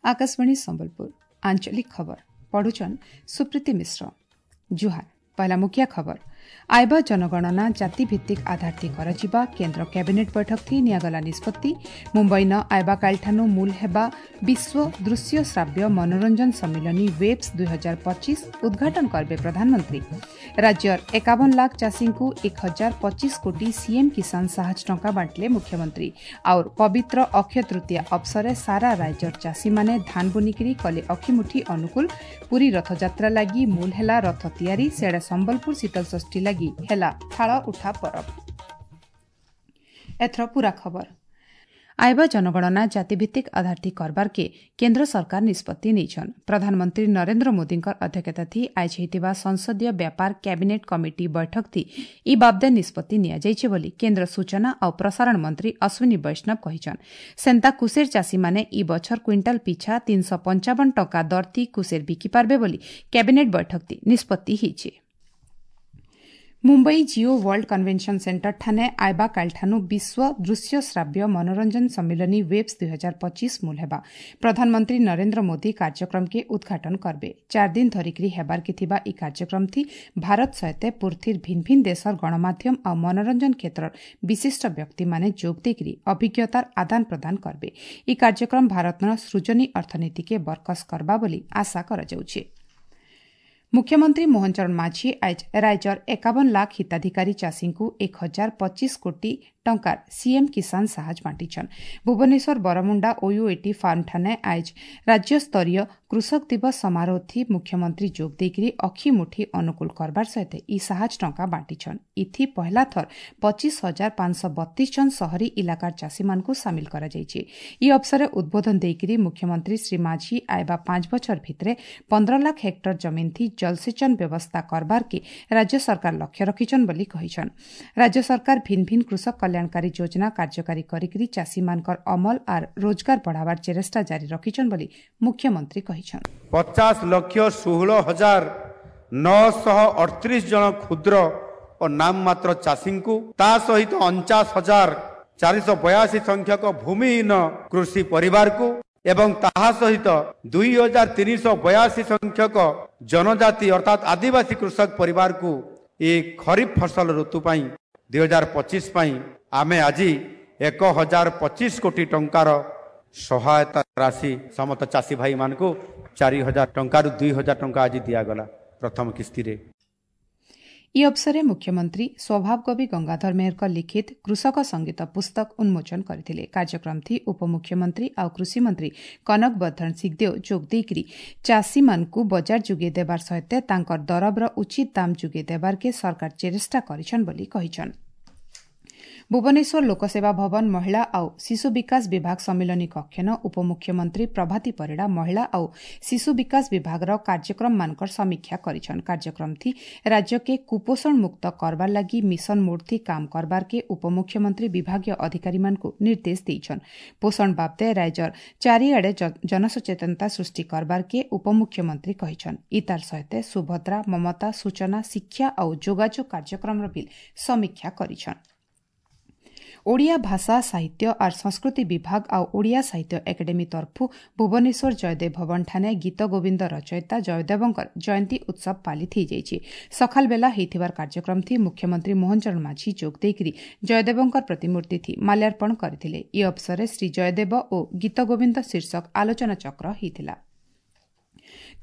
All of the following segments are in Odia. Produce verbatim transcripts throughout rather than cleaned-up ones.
आकाशवाणी संबलपुर आंचलिक खबर पढ़ुचन सुप्रीति मिश्र। जुहार। पहला मुख्य खबर। आयबा जनगणना जाति भित्तिक आधार ଥି କରାଯିବା କେନ୍ଦ୍ର କ୍ୟାବିନେଟ୍ ବୈଠକ ଥି ନିଆଗଲା ନିଷ୍ପତ୍ତି। ମୁମ୍ବାଇ ନ ଆଇବା କାଲିଠାନୁ ମୂଲ ହେବା ବିଶ୍ୱ ଦୃଶ୍ୟ ଶ୍ରାବ୍ୟ ମନୋରଞ୍ଜନ ସମ୍ମିଳନୀ ୱେବ୍ସ ଦୁଇ ହଜାର ପଚିଶ ଉଦ୍ଘାଟନ କରିବେ ପ୍ରଧାନମନ୍ତ୍ରୀ। ରାଜ୍ୟର ଏକାବନ ଲାଖ ଚାଷୀଙ୍କୁ ଏକ ହଜାର ପଚିଶ କୋଟି ସିଏମ୍ କିଷାନ ସାହାଯ୍ୟ ଟଙ୍କା ବାଣ୍ଟିଲେ ମୁଖ୍ୟମନ୍ତ୍ରୀ। ଆଉ ପବିତ୍ର ଅକ୍ଷୟ ତୃତୀୟା ଅବସରେ ସାରା ରାଜ୍ୟର ଚାଷୀମାନେ ଧାନ ବୁନିକିରି କଲେ ଅଖିମୁଠି ଅନୁକୂଳ। ପୁରୀ ରଥଯାତ୍ରା ଲାଗି ମୂଲ ହେଲା ରଥ ତିଆରି। ସେଆଡ଼େ ସମ୍ବଲପୁର ଶୀତଳଷଷ୍ଠୀ ଲାଗି ହେଲା ଥାଳ ଉଠା ପରବ। ଏଥର ପୂରା ଖବର। ଆଇବା ଜନଗଣନା ଜାତିଭିତ୍ତିକ ଆଧାର ଥି କରବାରକେ କେନ୍ଦ୍ର ସରକାର ନିଷ୍ପତ୍ତି ନେଇଛନ୍। ପ୍ରଧାନମନ୍ତ୍ରୀ ନରେନ୍ଦ୍ର ମୋଦୀଙ୍କର ଅଧ୍ୟକ୍ଷତା ଥି ଆଇଜ ହେଇଥିବା ସଂସଦୀୟ ବ୍ୟାପାର କ୍ୟାବିନେଟ୍ କମିଟି ବୈଠକ ଥି ଇ ବାବଦେ ନିଷ୍ପତ୍ତି ନିଆଯାଇଛି ବୋଲି କେନ୍ଦ୍ର ସୂଚନା ଆଉ ପ୍ରସାରଣ ମନ୍ତ୍ରୀ ଅଶ୍ୱିନୀ ବୈଷ୍ଣବ କହିଛନ୍। ସେନ୍ତା କୁସେର ଚାଷୀମାନେ ଇ ବଛର କ୍ୱିଣ୍ଟାଲ ପିଛା ତିନିଶହ ପଞ୍ଚାବନ ଟଙ୍କା ଦର ଥି କୁସେର ବିକି ପାରବେ ବୋଲି କ୍ୟାବିନେଟ୍ ବୈଠକ ଥି ନିଷ୍ପତ୍ତି ହେଇଛି। Mumbai Jio world convention centre ଠାନେ ଆଇବା କାଲିଠାନୁ ବିଶ୍ୱ ଦୃଶ୍ୟ ଶ୍ରାବ୍ୟ ମନୋରଞ୍ଜନ ସମ୍ମିଳନୀ ୱେବ୍ସ ଦୁଇ ହଜାର ପଚିଶ ମୂଲ ହେବା। ପ୍ରଧାନମନ୍ତ୍ରୀ ନରେନ୍ଦ୍ର ମୋଦୀ କାର୍ଯ୍ୟକ୍ରମକେ ଉଦ୍ଘାଟନ କରବେ। ଚାର ଦିନ ଧରିକରି ହେବାରକେ ଥିବା ଇ କାର୍ଯ୍ୟକ୍ରମ ଥି ଭାରତ ସହିତ ପୃଥିବୀର ଭିନ୍ନ ଭିନ୍ନ ଦେଶର ଗଣମାଧ୍ୟମ ଆଉ ମନୋରଞ୍ଜନ କ୍ଷେତ୍ରର ବିଶିଷ୍ଟ ବ୍ୟକ୍ତିମାନେ ଯୋଗ ଦେଇକରି ଅଭିଜ୍ଞତାର ଆଦାନ ପ୍ରଦାନ କରବେ। ଇ କାର୍ଯ୍ୟକ୍ରମ ଭାରତର ସୃଜନୀ ଅର୍ଥନୀତିକେ ବରକସ କରବା ବୋଲି ଆଶା କରାଯାଉଛି। ମୁଖ୍ୟମନ୍ତ୍ରୀ ମୋହନ ଚରଣ ମାଝୀ ଆଜ ରାଜ୍ୟର ଏକାବନ ଲାଖ ହିତାଧିକାରୀ ଚାଷୀଙ୍କୁ ଏକ ହଜାର ପଚିଶ କୋଟି ଟଙ୍କାର ସିଏମ୍ କିଷାନ ସାହାଯ୍ୟ ବାଣ୍ଟିଛନ୍। ଭୁବନେଶ୍ୱର ବରମୁଣ୍ଡା ଓୟୁଏଟି ଫାର୍ମଠାନେ ଆଜ ରାଜ୍ୟସ୍ତରୀୟ କୃଷକ ଦିବସ ସମାରୋହ ଥି ମୁଖ୍ୟମନ୍ତ୍ରୀ ଯୋଗ ଦେଇକରି ଅଖିମୁଠି ଅନୁକୂଳ କରବାର ସହିତ ଇ ସାହାଯ୍ୟ ଟଙ୍କା ବାଣ୍ଟିଛନ୍। ଇଥି ପହଲା ଥର ପଚିଶ ହଜାର ପାଞ୍ଚଶହ ବତିଶ ଜଣ ସହରୀ ଇଲାକାର ଚାଷୀମାନଙ୍କୁ ସାମିଲ କରାଯାଇଛି। ଇ ଅବସରରେ ଉଦ୍ବୋଧନ ଦେଇକରି ମୁଖ୍ୟମନ୍ତ୍ରୀ ଶ୍ରୀ ମାଝୀ ଆଇବା ପାଞ୍ଚ ବଛର ଭିତରେ ପନ୍ଦର ଲାଖ ହେକ୍ଟର ଜମିନ ଥି ଜଳସେଚନ ବ୍ୟବସ୍ଥା କରବାରକେ ରାଜ୍ୟ ସରକାର ଲକ୍ଷ୍ୟ ରଖିଛନ୍ ବୋଲି କହିଛନ୍। ରାଜ୍ୟ ସରକାର ଭିନ୍ନ ଭିନ୍ନ କୃଷକ କଲ୍ୟାଣକାରୀ ଯୋଜନା କାର୍ଯ୍ୟକାରୀ କରିକରି ଚାଷୀମାନଙ୍କର ଅମଲ ଆର୍ ରୋଜଗାର ବଢ଼ାବାର ଚେଷ୍ଟା ଜାରି ରଖିଛନ୍ ବୋଲି ମୁଖ୍ୟମନ୍ତ୍ରୀ କହିଛନ୍। ପଚାଶ ଲକ୍ଷ ଷୋହଳ ହଜାର ନଅଶହ ଅଠତିରିଶ ଜଣ କ୍ଷୁଦ୍ର ଓ ନାମମାତ୍ର ଚାଷୀଙ୍କୁ, ତା ସହିତ ଅଣଚାଶ ହଜାର ଚାରିଶହ ବୟାଅଶୀ ସଂଖ୍ୟକ ଭୂମିହୀନ କୃଷି ପରିବାରକୁ ଏବଂ ତାହା ସହିତ ଦୁଇ ହଜାର ତିନିଶହ ବୟାଅଶୀ ସଂଖ୍ୟକ ଜନଜାତି ଅର୍ଥାତ୍ ଆଦିବାସୀ କୃଷକ ପରିବାରକୁ ଏ ଖରିଫ ଫସଲ ଋତୁ ପାଇଁ ଦୁଇ ହଜାର ପଚିଶ ପାଇଁ ଆମେ ଆଜି ଏକ ହଜାର ପଚିଶ କୋଟି ଟଙ୍କାର ସହାୟତା ରାଶି ସମସ୍ତ ଚାଷୀ ଭାଇମାନଙ୍କୁ ଚାରି ହଜାର ଟଙ୍କାରୁ ଦୁଇ ହଜାର ଟଙ୍କା ଆଜି ଦିଆଗଲା ପ୍ରଥମ କିସ୍ତିରେ। ଇ ଅବସରରେ ମୁଖ୍ୟମନ୍ତ୍ରୀ ସ୍ୱଭାବ କବି ଗଙ୍ଗାଧର ମେହେରଙ୍କ ଲିଖିତ କୃଷକ ସଙ୍ଗୀତ ପୁସ୍ତକ ଉନ୍ମୋଚନ କରିଥିଲେ। କାର୍ଯ୍ୟକ୍ରମ ଥି ଉପମୁଖ୍ୟମନ୍ତ୍ରୀ ଆଉ କୃଷିମନ୍ତ୍ରୀ କନକ ବର୍ଦ୍ଧନ ସିଂଦେଓ ଯୋଗ ଦେଇକରି ଚାଷୀମାନଙ୍କୁ ବଜାର ଯୋଗାଇ ଦେବାର ସହିତ ତାଙ୍କର ଦରବର ଉଚିତ ଦାମ ଯୋଗାଇ ଦେବାରକେ ସରକାର ଚେଷ୍ଟା କରିଛନ୍ ବୋଲି କହିଛନ୍। ଭୁବନେଶ୍ୱର ଲୋକସେବା ଭବନ ମହିଳା ଆଉ ଶିଶୁ ବିକାଶ ବିଭାଗ ସମ୍ମିଳନୀ କକ୍ଷନ ଉପମୁଖ୍ୟମନ୍ତ୍ରୀ ପ୍ରଭାତୀ ପରିଡ଼ା ମହିଳା ଆଉ ଶିଶୁ ବିକାଶ ବିଭାଗର କାର୍ଯ୍ୟକ୍ରମମାନଙ୍କର ସମୀକ୍ଷା କରିଛନ୍। କାର୍ଯ୍ୟକ୍ରମ ଥି ରାଜ୍ୟକେ କୁପୋଷଣ ମୁକ୍ତ କରବାର ଲାଗି ମିଶନ ମୋଡ୍ ଥି କାମ କରବାରକେ ଉପମୁଖ୍ୟମନ୍ତ୍ରୀ ବିଭାଗୀୟ ଅଧିକାରୀମାନଙ୍କୁ ନିର୍ଦ୍ଦେଶ ଦେଇଛନ୍। ପୋଷଣ ବାବଦେ ରାଜ୍ୟର ଚାରିଆଡ଼େ ଜନସଚେତନତା ସୃଷ୍ଟି କରବାରକେ ଉପମୁଖ୍ୟମନ୍ତ୍ରୀ କହିଛନ୍। ଇତାର ସହିତ ସୁଭଦ୍ରା, ମମତା, ସୂଚନା, ଶିକ୍ଷା ଆଉ ଯୋଗାଯୋଗ କାର୍ଯ୍ୟକ୍ରମର ବି ସମୀକ୍ଷା କରିଛନ୍। ଓଡ଼ିଆ ଭାଷା ସାହିତ୍ୟ ଆର୍ ସଂସ୍କୃତି ବିଭାଗ ଆଉ ଓଡ଼ିଆ ସାହିତ୍ୟ ଏକାଡେମୀ ତରଫୁ ଭୁବନେଶ୍ୱର ଜୟଦେବ ଭବନଠାନେ ଗୀତ ଗୋବିନ୍ଦ ରଚୟିତା ଜୟଦେବଙ୍କର ଜୟନ୍ତୀ ଉତ୍ସବ ପାଳିତ ହୋଇଯାଇଛି। ସକାଳ ବେଲା ହେଇଥିବାର କାର୍ଯ୍ୟକ୍ରମ ଥି ମୁଖ୍ୟମନ୍ତ୍ରୀ ମୋହନ ଚରଣ ମାଝୀ ଯୋଗ ଦେଇକରି ଜୟଦେବଙ୍କର ପ୍ରତିମୂର୍ତ୍ତି ଥି ମାଲ୍ୟାର୍ପଣ କରିଥିଲେ। ଇ ଅବସରରେ ଶ୍ରୀ ଜୟଦେବ ଓ ଗୀତ ଗୋବିନ୍ଦ ଶୀର୍ଷକ ଆଲୋଚନାଚକ୍ର ହେଇଥିଲା।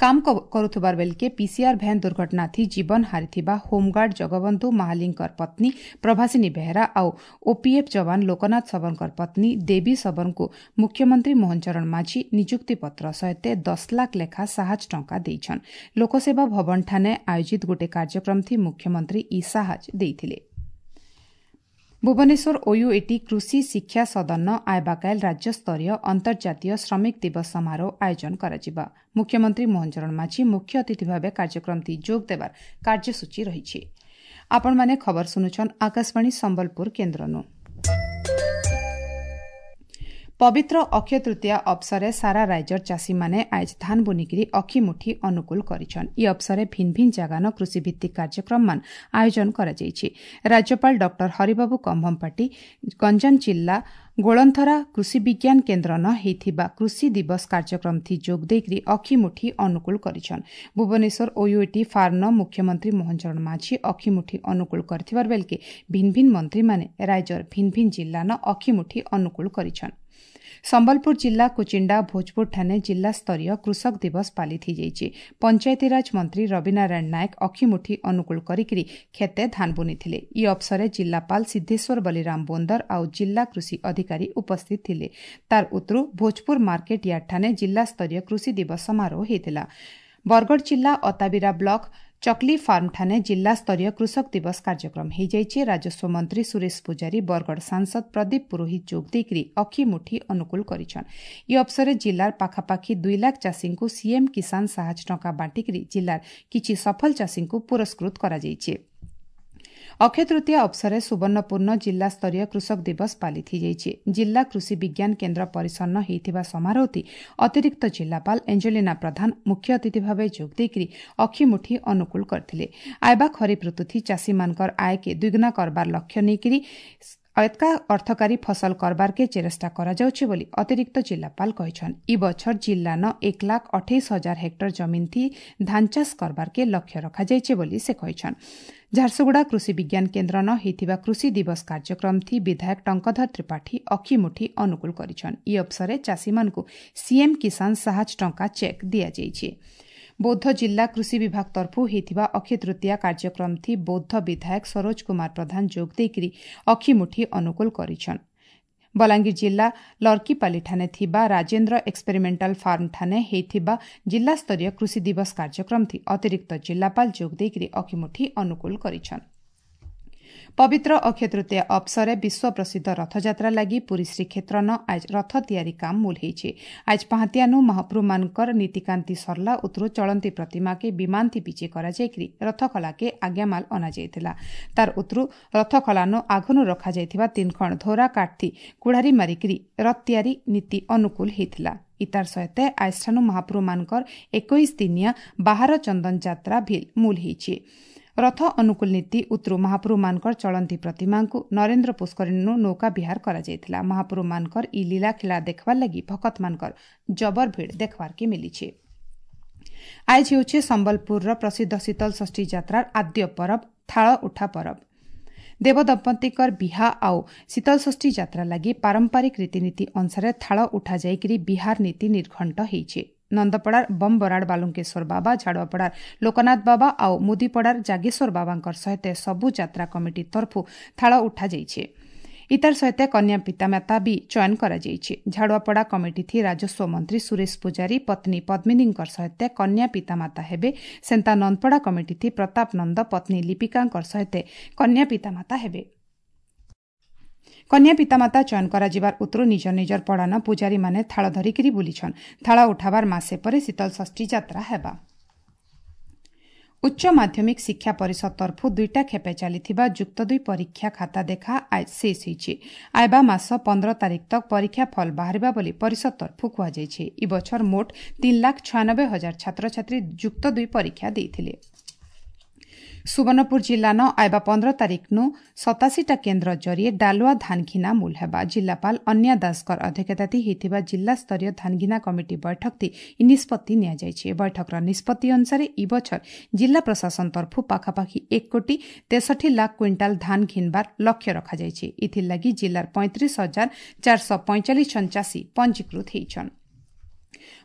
କାମ କରୁଥିବାର ବେଲକେ ପିସିଆର ଭ୍ୟାନ୍ ଦୁର୍ଘଟଣା ଥି ଜୀବନ ହାରିଥିବା ହୋମଗାର୍ଡ ଜଗବନ୍ଧୁ ମାହାଲିଙ୍କର ପତ୍ନୀ ପ୍ରଭାସିନୀ ବେହେରା ଆଉ ଓପିଏଫ୍ ଯବାନ ଲୋକନାଥ ଶବରଙ୍କର ପତ୍ନୀ ଦେବୀ ଶବରଙ୍କୁ ମୁଖ୍ୟମନ୍ତ୍ରୀ ମୋହନ ଚରଣ ମାଝୀ ନିଯୁକ୍ତି ପତ୍ର ସହିତ ଦଶ ଲାଖ ଲେଖା ସାହାଯ୍ୟ ଟଙ୍କା ଦେଇଛନ୍। ଲୋକସେବା ଭବନଠାନେ ଆୟୋଜିତ ଗୋଟିଏ କାର୍ଯ୍ୟକ୍ରମ ଥି ମୁଖ୍ୟମନ୍ତ୍ରୀ ଇ ସାହାଯ୍ୟ ଦେଇଥିଲେ। ଭୁବନେଶ୍ୱର ଓୟୁଏଟି କୃଷି ଶିକ୍ଷା ସଦନ ଆୟବାକାଇଲ ରାଜ୍ୟସ୍ତରୀୟ ଅନ୍ତର୍ଜାତୀୟ ଶ୍ରମିକ ଦିବସ ସମାରୋହ ଆୟୋଜନ କରାଯିବା। ମୁଖ୍ୟମନ୍ତ୍ରୀ ମୋହନ ଚରଣ ମାଝୀ ମୁଖ୍ୟ ଅତିଥି ଭାବେ କାର୍ଯ୍ୟକ୍ରମଟି ଯୋଗ ଦେବାର କାର୍ଯ୍ୟସୂଚୀ ରହିଛି। ଆପଣମାନେ ଖବର ଶୁଣୁଛନ୍ ଆକାଶବାଣୀ ସମ୍ବଲପୁର କେନ୍ଦ୍ରନୁ। ପବିତ୍ର ଅକ୍ଷୟ ତୃତୀୟା ଅବସରେ ସାରା ରାଜ୍ୟର ଚାଷୀମାନେ ଆଏଜ୍ ଧାନ ବୁନିକିରି ଅଖିମୁଠି ଅନୁକୂଳ କରିଛନ୍। ଇ ଅବସରେ ଭିନ୍ ଭିନ୍ ଜାଗାନ କୃଷିଭିତ୍ତିକ କାର୍ଯ୍ୟକ୍ରମମାନ ଆୟୋଜନ କରାଯାଇଛି। ରାଜ୍ୟପାଳ ଡକ୍ଟର ହରିବାବୁ କମ୍ଭମପାଟି ଗଞ୍ଜାମ ଜିଲ୍ଲା ଗୋଳନ୍ଥରା କୃଷି ବିଜ୍ଞାନ କେନ୍ଦ୍ରନ ହେଇଥିବା କୃଷି ଦିବସ କାର୍ଯ୍ୟକ୍ରମଥି ଯୋଗ ଦେଇକରି ଅଖିମୁଠି ଅନୁକୂଳ କରିଛନ୍। ଭୁବନେଶ୍ୱର ଓୟୁଏଟି ଫାର୍ମନ ମୁଖ୍ୟମନ୍ତ୍ରୀ ମୋହନ ଚରଣ ମାଝୀ ଅଖିମୁଠି ଅନୁକୂଳ କରିଥିବାର ବେଲକେ ଭିନ୍ ଭିନ୍ ମନ୍ତ୍ରୀମାନେ ରାଜ୍ୟର ଭିନ୍ ଭିନ୍ ଜିଲ୍ଲାନ ଅଖିମୁଠି ଅନୁକୂଳ କରିଛନ୍। ସମ୍ବଲପୁର ଜିଲ୍ଲା କୁଚିଣ୍ଡା ଭୋଜପୁରଠାରେ ଜିଲ୍ଲାସ୍ତରୀୟ କୃଷକ ଦିବସ ପାଳିତ ହୋଇଯାଇଛି। ପଞ୍ଚାୟତିରାଜ ମନ୍ତ୍ରୀ ରବିନାରାୟଣ ନାୟକ ଅଖିମୁଠି ଅନୁକୂଳ କରିକିରି କ୍ଷେତେ ଧାନ ବୁନିଥିଲେ। ଇ ଅବସରେ ଜିଲ୍ଲାପାଳ ସିଦ୍ଧେଶ୍ୱର ବଲିରାମ ବୋନ୍ଦର ଆଉ ଜିଲ୍ଲା କୃଷି ଅଧିକାରୀ ଉପସ୍ଥିତ ଥିଲେ। ତାର ଉତ୍ତରୁ ଭୋଜପୁର ମାର୍କେଟ ୟାର୍ଡଠାରେ ଜିଲ୍ଲାସ୍ତରୀୟ କୃଷି ଦିବସ ସମାରୋହ ହୋଇଥିଲା। ବରଗଡ଼ ଜିଲ୍ଲା ଅତାବିରା ବ୍ଲକ ଚକଲି ଫାର୍ମଠାରେ ଜିଲ୍ଲାସ୍ତରୀୟ କୃଷକ ଦିବସ କାର୍ଯ୍ୟକ୍ରମ ହୋଇଯାଇଛି। ରାଜସ୍ୱ ମନ୍ତ୍ରୀ ସୁରେଶ ପୂଜାରୀ, ବରଗଡ଼ ସାଂସଦ ପ୍ରଦୀପ ପୁରୋହିତ ଯୋଗ ଦେଇକରି ଅଖିମୁଠି ଅନୁକୂଳ କରିଛନ୍। ଇ ଅବସରେ ଜିଲ୍ଲାର ପାଖାପାଖି ଦୁଇ ଲାଖ ଚାଷୀଙ୍କୁ ସିଏମ୍ କିଷାନ ସାହାଯ୍ୟ ଟଙ୍କା ବାଣ୍ଟିକରି ଜିଲ୍ଲାର କିଛି ସଫଳ ଚାଷୀଙ୍କୁ ପୁରସ୍କୃତ କରାଯାଇଛି। ଅକ୍ଷୟ ତୃତୀୟା ଅବସରେ ସୁବର୍ଣ୍ଣପୁରନ ଜିଲ୍ଲାସ୍ତରୀୟ କୃଷକ ଦିବସ ପାଳିତ ହୋଇଯାଇଛି। ଜିଲ୍ଲା କୃଷି ବିଜ୍ଞାନ କେନ୍ଦ୍ର ପରିସନ୍ନ ହୋଇଥିବା ସମାରୋହଟି ଅତିରିକ୍ତ ଜିଲ୍ଲାପାଳ ଏଞ୍ଜେଲିନା ପ୍ରଧାନ ମୁଖ୍ୟ ଅତିଥି ଭାବେ ଯୋଗ ଦେଇକରି ଅଖିମୁଠି ଅନୁକୂଳ କରିଥିଲେ। ଆଇବା ଖରିଫ ଋତୁଥି ଚାଷୀମାନଙ୍କର ଆୟକେ ଦ୍ୱିଗୁଣା କରବାର ଲକ୍ଷ୍ୟ ନେଇକରି ଏତକା ଅର୍ଥକାରୀ ଫସଲ କରବାରକେ ଚେଷ୍ଟା କରାଯାଉଛି ବୋଲି ଅତିରିକ୍ତ ଜିଲ୍ଲାପାଳ କହିଛନ୍। ଇ ବଛର ଜିଲ୍ଲାନ ଏକ ଲାଖ ଅଠେଇଶ ହଜାର ହେକ୍ଟର ଜମିନ୍ ଥି ଧାନ ଚାଷ କରବାରକେ ଲକ୍ଷ୍ୟ ରଖାଯାଇଛି ବୋଲି ସେ କହିଛନ୍। ଝାରସୁଗୁଡ଼ା କୃଷି ବିଜ୍ଞାନ କେନ୍ଦ୍ରନ ହେଇଥିବା କୃଷି ଦିବସ କାର୍ଯ୍ୟକ୍ରମଥି ବିଧାୟକ ଟଙ୍କଧର ତ୍ରିପାଠୀ ଅଖିମୁଠି ଅନୁକୂଳ କରିଛନ୍। ଇ ଅବସରେ ଚାଷୀମାନଙ୍କୁ ସିଏମ୍ କିଷାନ ସାହାଯ୍ୟ ଟଙ୍କା ଚେକ୍ ଦିଆଯାଇଛି। ବୌଦ୍ଧ ଜିଲ୍ଲା କୃଷି ବିଭାଗ ତରଫରୁ ହେଇଥିବା ଅକ୍ଷୟ ତୃତୀୟା କାର୍ଯ୍ୟକ୍ରମଥି ବୌଦ୍ଧ ବିଧାୟକ ସରୋଜ କୁମାର ପ୍ରଧାନ ଯୋଗ ଦେଇକରି ଅଖିମୁଠି ଅନୁକୂଳ କରିଛନ୍। ବଲାଙ୍ଗୀର ଜିଲ୍ଲା ଲର୍କିପାଲିଠାରେ ଥିବା ରାଜେନ୍ଦ୍ର ଏକ୍ସପେରିମେଣ୍ଟାଲ ଫାର୍ମଠାରେ ହେଇଥିବା ଜିଲ୍ଲାସ୍ତରୀୟ କୃଷି ଦିବସ କାର୍ଯ୍ୟକ୍ରମଥି ଅତିରିକ୍ତ ଜିଲ୍ଲାପାଳ ଯୋଗ ଦେଇକରି ଅଖିମୁଠି ଅନୁକୂଳ କରିଛନ୍। ପବିତ୍ର ଅକ୍ଷୟ ତୃତୀୟା ଅବସରେ ବିଶ୍ୱ ପ୍ରସିଦ୍ଧ ରଥଯାତ୍ରା ଲାଗି ପୁରୀ ଶ୍ରୀକ୍ଷେତ୍ରନ ଆଜ ରଥ ତିଆରି କାମ ମୂଲ ହେଇଛି। ଆଜ ପାହାନ୍ତିଆନୁ ମହାପ୍ରଭୁମାନଙ୍କର ନୀତିକାନ୍ତି ସରଲା ଉତରୁ ଚଳନ୍ତି ପ୍ରତିମାକେ ବିମାନଥି ବିଜେ କରାଯାଇକରି ରଥଖଳାକେ ଆଜ୍ଞାମାଲ ଅଣାଯାଇଥିଲା। ତାର ଉତରୁ ରଥଖଳାନୁ ଆଘନୁ ରଖାଯାଇଥିବା ତିନଖଣ୍ଡ ଧୋରା କାଠଥି କୁଢ଼ାରୀ ମାରିକିରି ରଥ ତିଆରି ନୀତି ଅନୁକୂଳ ହେଇଥିଲା। ଇତାର ସହିତ ଆଜଠାନୁ ମହାପ୍ରଭୁମାନଙ୍କର ଏକୋଇଶ ଦିନିଆ ବାହାର ଚନ୍ଦନ ଯାତ୍ରା ଭିଲ୍ ମୂଲ ହେଇଛି। ରଥ ଅନୁକୂଳ ନୀତି ଉତରୁ ମହାପ୍ରଭୁମାନଙ୍କର ଚଳନ୍ତି ପ୍ରତିମାଙ୍କୁ ନରେନ୍ଦ୍ର ପୁଷ୍କରିଣୀନୁ ନୌକା ବିହାର କରାଯାଇଥିଲା। ମହାପ୍ରଭୁମାନଙ୍କର ଇ ଲୀଳାଖେଳା ଦେଖବାର୍ ଲାଗି ଭକତମାନଙ୍କର ଜବର ଭିଡ଼ ଦେଖବାର୍କେ ମିଲିଛି। ଆଜ ହେଉଛି ସମ୍ବଲପୁରର ପ୍ରସିଦ୍ଧ ଶୀତଳ ଷଷ୍ଠୀ ଯାତ୍ରାର ଆଦ୍ୟ ପରବ ଥାଳ ଉଠା ପରବ। ଦେବଦମ୍ପତିଙ୍କର ବିହା ଆଉ ଶୀତଳଷଷ୍ଠୀ ଯାତ୍ରା ଲାଗି ପାରମ୍ପରିକ ରୀତିନୀତି ଅନୁସାରେ ଥାଳ ଉଠାଯାଇକରି ବିହାର ନୀତି ନିର୍ଘଣ୍ଟ ହେଇଛି। ନନ୍ଦପଡ଼ାର ବମ୍ବରାଡ଼ ବାଲୁଙ୍କେଶ୍ୱର ବାବା, ଝାଡ଼ୁଆପଡ଼ାର ଲୋକନାଥ ବାବା ଆଉ ମୁଦିପଡ଼ାର ଜାଗେଶ୍ୱର ବାବାଙ୍କର ସହିତ ସବୁ ଯାତ୍ରା କମିଟି ତରଫରୁ ଥାଳ ଉଠାଯାଇଛି। ଇତାର ସହିତ କନ୍ୟା ପିତାମାତା ବି ଚୟନ କରାଯାଇଛି। ଝାଡ଼ୁଆପଡ଼ା କମିଟିଥି ରାଜସ୍ୱ ମନ୍ତ୍ରୀ ସୁରେଶ ପୂଜାରୀ ପତ୍ନୀ ପଦ୍ମିନୀଙ୍କର ସହିତ କନ୍ୟା ପିତାମାତା ହେବେ। ସେନ୍ତା ନନ୍ଦପଡ଼ା କମିଟିଥି ପ୍ରତାପ ନନ୍ଦ ପତ୍ନୀ ଲିପିକାଙ୍କର ସହିତ କନ୍ୟା ପିତାମାତା ହେବେ। କନ୍ୟା ପିତାମାତା ଚୟନ କରାଯିବାର ଉତ୍ତରୁ ନିଜ ନିଜର ପଡ଼ାନ ପୂଜାରୀମାନେ ଥାଳ ଧରିକିରି ବୁଲିଛନ୍। ଥାଳ ଉଠାବାର ମାସେ ପରେ ଶୀତଳ ଷଷ୍ଠୀ ଯାତ୍ରା ହେବା। ଉଚ୍ଚ ମାଧ୍ୟମିକ ଶିକ୍ଷା ପରିଷଦ ତରଫରୁ ଦୁଇଟା ଖେପେ ଚାଲିଥିବା ଯୁକ୍ତ ଦୁଇ ପରୀକ୍ଷା ଖାତା ଦେଖା ଆଜ ଶେଷ ହୋଇଛି। ଆଇବା ମାସ ପନ୍ଦର ତାରିଖ ତକ ପରୀକ୍ଷା ଫଳ ବାହାରିବା ବୋଲି ପରିଷଦ ତରଫରୁ କୁହାଯାଇଛି। ଇ ବଛର ମୋଟ ତିନି ଲାଖ ଛୟାନବେ ହଜାର ଛାତ୍ରଛାତ୍ରୀ ଯୁକ୍ତ ଦୁଇ ପରୀକ୍ଷା ଦେଇଥିଲେ। ସୁବର୍ଣ୍ଣପୁର ଜିଲ୍ଲାନ ଆଇବା ପନ୍ଦର ତାରିଖନୁ ସତାଅଶୀଟା କେନ୍ଦ୍ର ଜରିଏ ଡାଲୁଆ ଧାନଘିନା ମୂଲ ହେବା। ଜିଲ୍ଲାପାଳ ଅନ୍ୟା ଦାସଙ୍କର ଅଧ୍ୟକ୍ଷତାଥି ହେଇଥିବା ଜିଲ୍ଲାସ୍ତରୀୟ ଧାନଘିନା କମିଟି ବୈଠକଥି ଇ ନିଷ୍ପତ୍ତି ନିଆଯାଇଛି। ବୈଠକର ନିଷ୍ପତ୍ତି ଅନୁସାରେ ଇ ବଛର ଜିଲ୍ଲା ପ୍ରଶାସନ ତରଫରୁ ପାଖାପାଖି ଏକ କୋଟି ତେଷଠି ଲାଖ କ୍ୱିଣ୍ଟାଲ ଧାନ ଘିନବାର ଲକ୍ଷ୍ୟ ରଖାଯାଇଛି। ଏଥିଲାଗି ଜିଲ୍ଲାର ପଇଁତିରିଶ ହଜାର ଚାରିଶହ ପଇଁଚାଳିଶ ଜଣ ଚାଷୀ ପଞ୍ଜୀକୃତ ହେଇଛନ୍।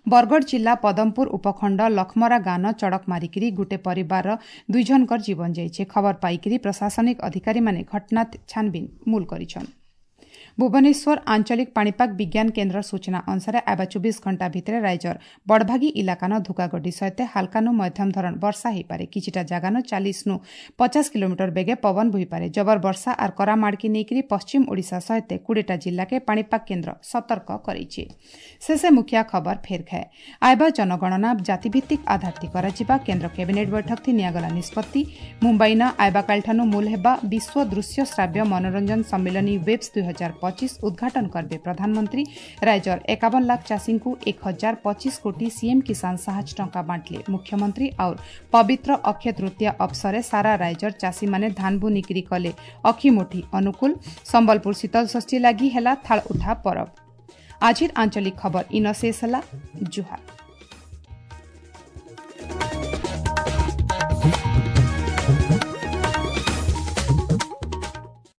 ବରଗଡ଼ ଜିଲ୍ଲା ପଦମପୁର ଉପଖଣ୍ଡ ଲଖମରା ଗାଁନ ଚଡ଼କ ମାରିକିରି ଗୁଟେ ପରିବାରର ଦୁଇ ଜଣଙ୍କର ଜୀବନ ଯାଇଛି। ଖବର ପାଇକିରି ପ୍ରଶାସନିକ ଅଧିକାରୀମାନେ ଘଟଣା ଛାନବିନ ମୂଲ କରିଛନ୍। ଭୁବନେଶ୍ୱର ଆଞ୍ଚଳିକ ପାଣିପାଗ ବିଜ୍ଞାନ କେନ୍ଦ୍ର ସୂଚନା ଅନୁସାରେ ଆଇବା ଚବିଶ ଘଣ୍ଟା ଭିତରେ ରାଜ୍ୟର ବଡ଼ଭାଗୀ ଇଲାକାନ ଧୁକାଗଡ଼ି ସହିତ ହାଲକାନୁ ମଧ୍ୟମ ଧରଣ ବର୍ଷା ହେଇପାରେ। କିଛିଟା ଜାଗାନ ଚାଳିଶନୁ ପଚାଶ କିଲୋମିଟର ବେଗେ ପବନ ବୋହିପାରେ। ଜବର ବର୍ଷା ଆର୍ କରାମାଡ଼କି ନେଇକରି ପଶ୍ଚିମ ଓଡ଼ିଶା ସହିତ କୋଡ଼ିଏଟା ଜିଲ୍ଲାକେ ପାଣିପାଗ କେନ୍ଦ୍ର ସତର୍କ କରାଇଛି। ଶେଷେ ମୁଖିଆ ଖବର ଫେର ଖାଏ। ଆଇବା ଜନଗଣନା ଜାତିଭିତ୍ତିକ ଆଧାରଥି କରାଯିବା କେନ୍ଦ୍ର କ୍ୟାବିନେଟ୍ ବୈଠକଥି ନିଆଗଲା ନିଷ୍ପତ୍ତି। ମୁମ୍ବାଇନ ଆଇବାକାଲିଠାନୁ ମୂଲ ହେବା ବିଶ୍ୱ ଦୃଶ୍ୟ ଶ୍ରାବ୍ୟ ମନୋରଞ୍ଜନ ସମ୍ମିଳନୀ ୱେବ୍ସ ଦୁଇ ହଜାର ପଚିଶ ଉଦ୍ଘାଟନ କରିବେ ପ୍ରଧାନମନ୍ତ୍ରୀ। ରାଜ୍ୟର ଏକାବନ ଲାଖ ଚାଷୀଙ୍କୁ ଏକ ହଜାର ପଚିଶ କୋଟି ସିଏମ୍ କିଷାନ ସାହାଯ୍ୟ ଟଙ୍କା ବାଣ୍ଟିଲେ ମୁଖ୍ୟମନ୍ତ୍ରୀ। ଆଉ ପବିତ୍ର ଅକ୍ଷୟ ତୃତୀୟା ଅବସରେ ସାରା ରାଜ୍ୟର ଚାଷୀମାନେ ଧାନ ବୁନିକିରି କଲେ ଅଖିମୁଠି ଅନୁକୂଳ। ସମ୍ବଲପୁର ଶୀତଳଷଷ୍ଠୀ ଲାଗି ହେଲା ଥାଳ ଉଠା ପରବ। ଆଜିର ଆଞ୍ଚଳିକ ଖବର ଇନ ଶେଷ ହେଲା। ଜୁହାର।